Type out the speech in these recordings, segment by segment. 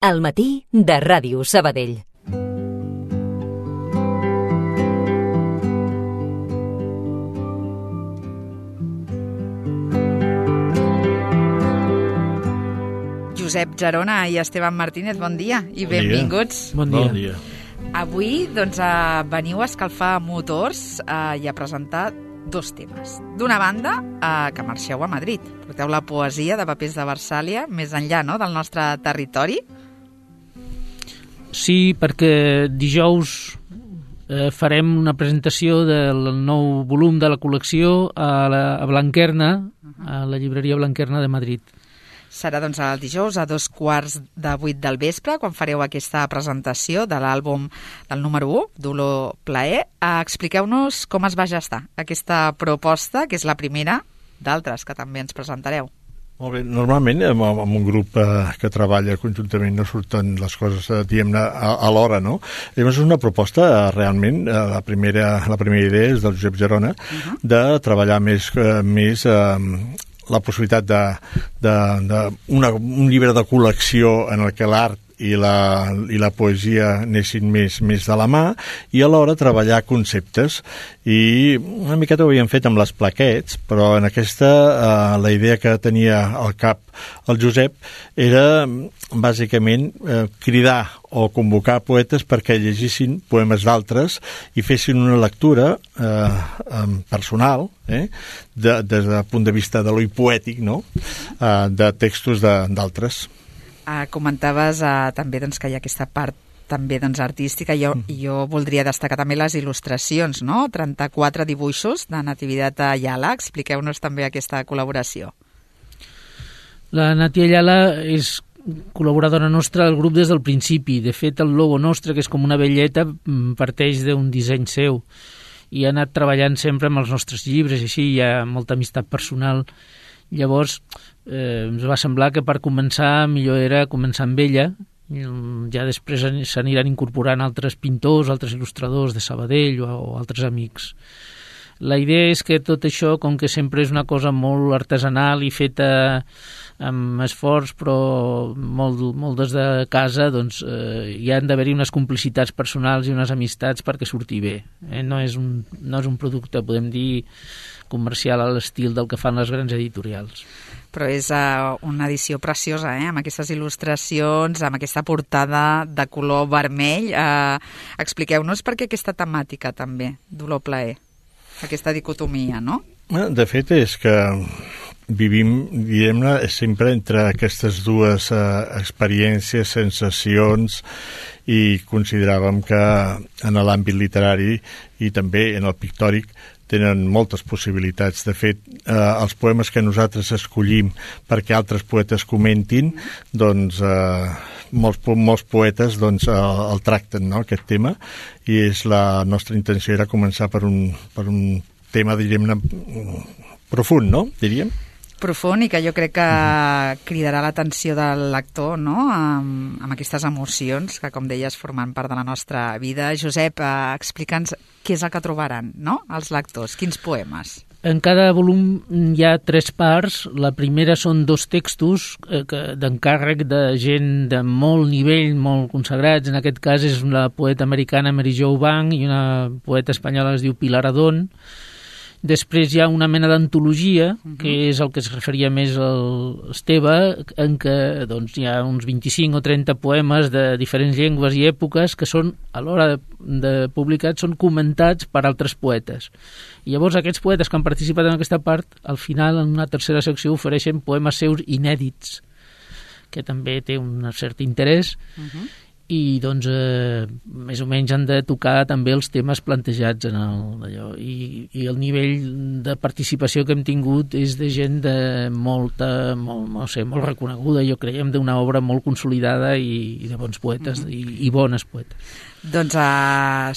Al matí de Ràdio Sabadell. Josep Gerona i Esteban Martínez, bon dia i benvinguts. Bon dia. Avui veniu a escalfar motors i a presentar dos temes. D'una banda, que marxeu a Madrid. Porteu la poesia de Papers de Versàlia més enllà, no?, del nostre territori. Sí, perquè dijous farem una presentació del nou volum de la col·lecció a Blanquerna, a la llibreria Blanquerna de Madrid. Serà doncs el dijous a 7:45 del vespre, quan fareu aquesta presentació de l'àlbum del número 1, Dolor Plaer. Expliqueu-nos com es va gestar aquesta proposta, que és la primera d'altres que també ens presentareu. Molt bé. Normalment amb un grup que treballa conjuntament no surten les coses, diguem-ne, a l'hora, no? Llavors és una proposta, realment, la primera idea és del Josep Gerona, de treballar més la possibilitat d'un llibre de col·lecció en el que l'art i la poesia anessin més de la mà, i alhora treballar conceptes. I una miqueta ho havíem fet amb les plaquets, però en aquesta la idea que tenia al cap el Josep era bàsicament cridar o convocar poetes perquè llegissin poemes d'altres i fessin una lectura personal, des del punt de vista de lo poètic, no?, de textos d'altres. Comentaves també doncs, que hi ha aquesta part també artística. Jo voldria destacar també les il·lustracions, no? 34 dibuixos de Natividad Ayala. Expliqueu-nos també aquesta col·laboració. La Nati Ayala és col·laboradora nostra del grup des del principi. De fet, el logo nostre, que és com una velleta, parteix d'un disseny seu i ha anat treballant sempre amb els nostres llibres, i així hi ha molta amistat personal. Llavors, ens va semblar que per començar millor era començar amb ella. Ja després s'aniran incorporant altres pintors, altres il·lustradors de Sabadell o altres amics. La idea és que tot això, com que sempre és una cosa molt artesanal i feta amb esforç, però molt des de casa, doncs hi han d'haver-hi unes complicitats personals i unes amistats perquè surti bé. No és un producte, podem dir, comercial a l'estil del que fan les grans editorials. Però és una edició preciosa, amb aquestes il·lustracions, amb aquesta portada de color vermell. Expliqueu-nos per què aquesta temàtica també, Dolor Plaer, aquesta dicotomia, no? De fet, és que vivim, diguem-ne, sempre entre aquestes dues experiències, sensacions, i consideràvem que en l'àmbit literari i també en el pictòric tenen moltes possibilitats. De fet, els poemes que nosaltres escollim perquè altres poetes comentin, doncs molts poetes el tracten, no?, aquest tema, i la nostra intenció era començar per un tema, diríem-ne, profund, no?, diríem. Profund, i que jo crec que cridarà l'atenció del lector, no?, amb aquestes emocions que, com deies, formen part de la nostra vida. Josep, explica'ns què és el que trobaran, no?, els lectors. Quins poemes? En cada volum hi ha 3 parts. La primera són 2 textos d'encàrrec de gent de molt nivell, molt consagrats. En aquest cas és una poeta americana, Mary Jo Bank, i una poeta espanyola que es diu Pilar Adón. Després hi ha una mena d'antologia, que és el que es referia més al Esteve, en què doncs, hi ha uns 25 o 30 poemes de diferents llengües i èpoques que són, a l'hora de publicats, són comentats per altres poetes. I llavors aquests poetes que han participat en aquesta part, al final, en una tercera secció, ofereixen poemes seus inèdits, que també té un cert interès, i doncs més o menys han de tocar també els temes plantejats en allò. I el nivell de participació que hem tingut és de gent molt reconeguda, jo creiem, d'una obra molt consolidada i de bons poetes i bones poetes. Doncs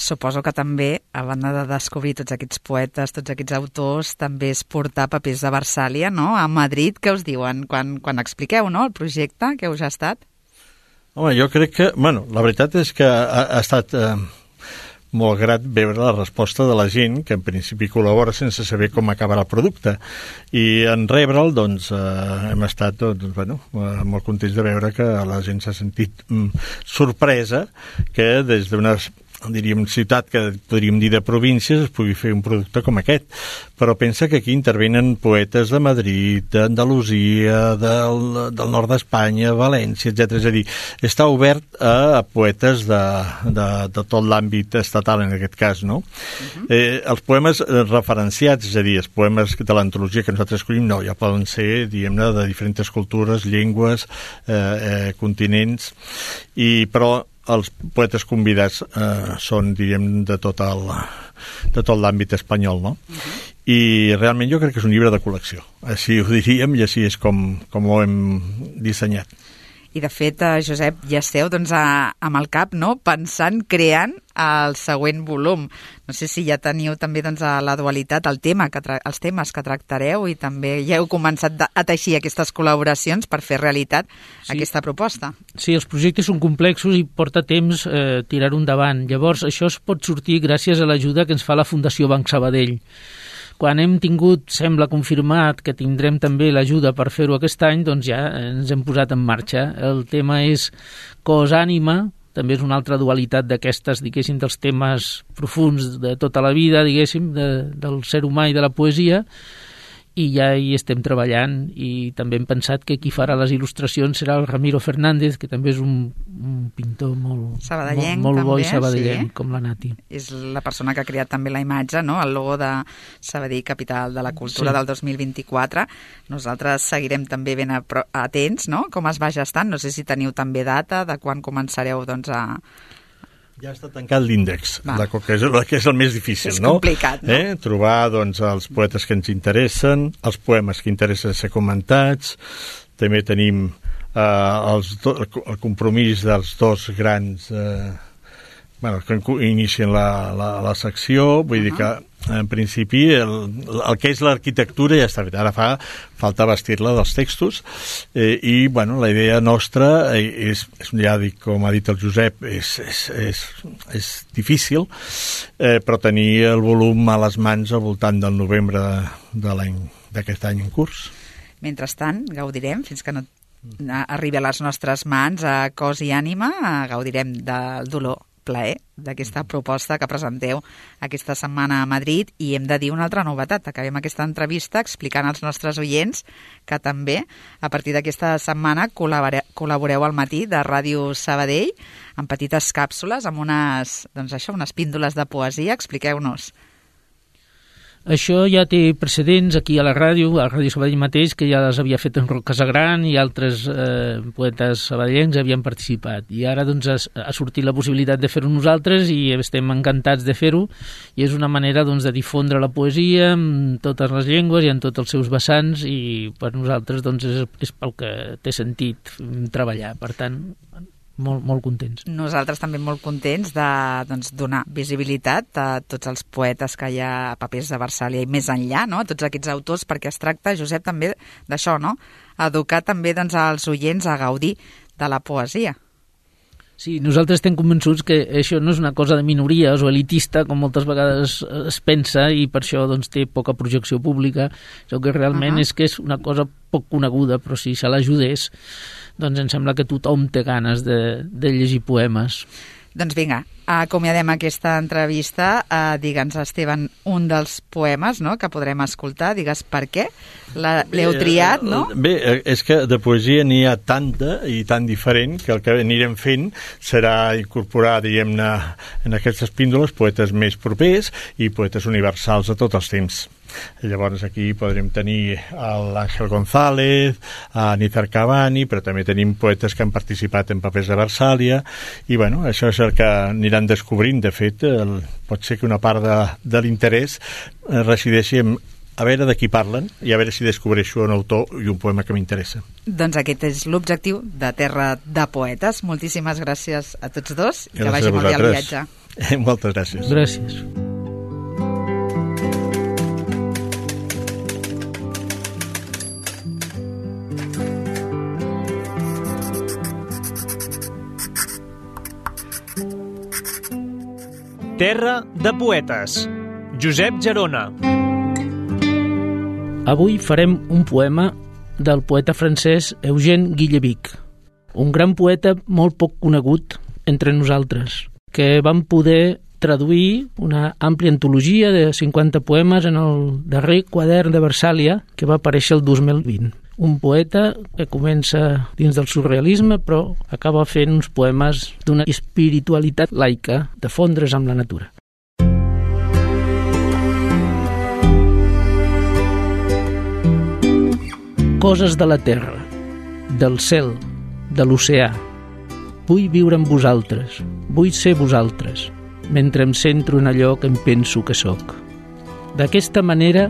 suposo que també, a banda de descobrir tots aquests poetes, tots aquests autors, també és portar Papers de Versàlia, no?, a Madrid. Què us diuen quan expliqueu, no?, el projecte que us ha estat? Home, jo crec que, la veritat és que ha estat molt grat veure la resposta de la gent, que en principi col·labora sense saber com acabarà el producte. I en rebre'l, doncs, hem estat molt contents de veure que la gent s'ha sentit sorpresa que des d'una ciutat que podríem dir de províncies es pugui fer un producte com aquest. Però pensa que aquí intervenen poetes de Madrid, d'Andalusia, del nord d'Espanya, València, etc. És a dir, està obert a poetes de tot l'àmbit estatal, en aquest cas, no? Els poemes referenciats, és a dir, els poemes de l'antologia que nosaltres escollim, no, ja poden ser, diguem-ne, de diferents cultures, llengües, continents, però els poetes convidats són, diguem, de tot l'àmbit espanyol, no? I realment jo crec que és un llibre de col·lecció. Així ho diríem i així és com ho hem dissenyat. I de fet, Josep, ja esteu amb el cap, no?, pensant, creant el següent volum. No sé si ja teniu també la dualitat, els temes que tractareu, i també ja heu començat a teixir aquestes col·laboracions per fer realitat aquesta proposta. Sí, els projectes són complexos i porta temps tirar-ho endavant. Llavors, això es pot sortir gràcies a l'ajuda que ens fa la Fundació Banc Sabadell. Quan hem tingut, sembla confirmat, que tindrem també l'ajuda per fer-ho aquest any, doncs ja ens hem posat en marxa. El tema és cos-ànima, també és una altra dualitat d'aquestes, diguéssim, dels temes profuns de tota la vida, diguéssim, del ser humà i de la poesia, i ja hi estem treballant, i també hem pensat que qui farà les il·lustracions serà el Ramiro Fernández, que també és un pintor molt bo i sabadellenc, com la Nati. És la persona que ha creat també la imatge, no?, el logo de Sabadell, capital de la cultura del 2024. Nosaltres seguirem també ben atents, no?, com es va gestant. No sé si teniu també data de quan començareu a... Ja està tancat l'índex, que és el més difícil, no? És complicat, no? Trobar els poetes que ens interessen, els poemes que interessen ser comentats. També tenim el compromís dels dos grans que inicien la secció. Vull dir que, en principi, el que és l'arquitectura ja està fet. Ara falta vestir-la dels textos, i la idea nostra és, ja dic, com ha dit el Josep, és difícil, però tenir el volum a les mans al voltant del novembre d'aquest any en curs. Mentrestant, gaudirem, fins que no arribi a les nostres mans, a cos i ànima, gaudirem del dolor, plaer, d'aquesta proposta que presenteu aquesta setmana a Madrid. I hem de dir una altra novetat. Acabem aquesta entrevista explicant als nostres oients que també, a partir d'aquesta setmana, col·laboreu al matí de Ràdio Sabadell amb petites càpsules, amb unes píndoles de poesia. Expliqueu-nos. Això ja té precedents aquí a Ràdio Sabadell mateix, que ja les havia fet en Roc Casagran i altres poetes sabadellencs havien participat. I ara ha sortit la possibilitat de fer-ho nosaltres i estem encantats de fer-ho, i és una manera de difondre la poesia en totes les llengües i en tots els seus vessants, i per nosaltres és pel que té sentit treballar. Per tant, molt contents. Nosaltres també molt contents de donar visibilitat a tots els poetes que hi ha a Papers de Versàlia i més enllà, no? Tots aquests autors, perquè es tracta, Josep, també d'això, no? Educar també als oients a gaudir de la poesia. Sí, nosaltres estem convençuts que això no és una cosa de minories o elitista, com moltes vegades es pensa, i per això té poca projecció pública. Això que realment és que és una cosa poc coneguda, però si se l'ajudés, em sembla que tothom té ganes de llegir poemes. Doncs vinga, acomiadem aquesta entrevista. Digue'ns, Esteban, un dels poemes, no?, que podrem escoltar. Digues per què l'heu triat, no? Bé, és que de poesia n'hi ha tanta i tan diferent que el que anirem fent serà incorporar, diguem-ne, en aquestes píndoles poetes més propers i poetes universals a tots els temps. Llavors aquí podrem tenir l'Àngel González, a Nízar Cavani, però també tenim poetes que han participat en Papers de Versàlia, i això és el que aniran descobrint. De fet, pot ser que una part de l'interès resideixi en a veure de qui parlen i a veure si descobreixo un autor i un poema que m'interessa. Doncs aquest és l'objectiu de Terra de Poetes. Moltíssimes gràcies a tots dos i que vagi molt bé el viatge. Moltes gràcies. Gràcies. Terra de poetes. Josep Gerona. Avui farem un poema del poeta francès Eugène Guillevic, un gran poeta molt poc conegut entre nosaltres, que vam poder traduir una àmplia antologia de 50 poemes en el darrer quadern de Versàlia que va aparèixer el 2020. Un poeta que comença dins del surrealisme però acaba fent uns poemes d'una espiritualitat laica, de fondre's amb la natura. Coses de la terra, del cel, de l'oceà. Vull viure amb vosaltres, vull ser vosaltres, mentre em centro en allò que em penso que sóc. D'aquesta manera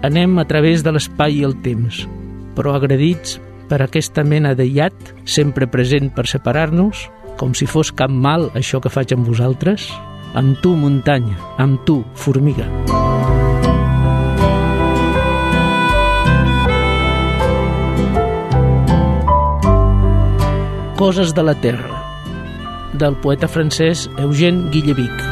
anem a través de l'espai i el temps, però agredits per aquesta mena de iat sempre present per separar-nos, com si fos cap mal això que faig amb vosaltres, amb tu muntanya, amb tu formiga. Coses de la terra, del poeta francès Eugène Guillevic.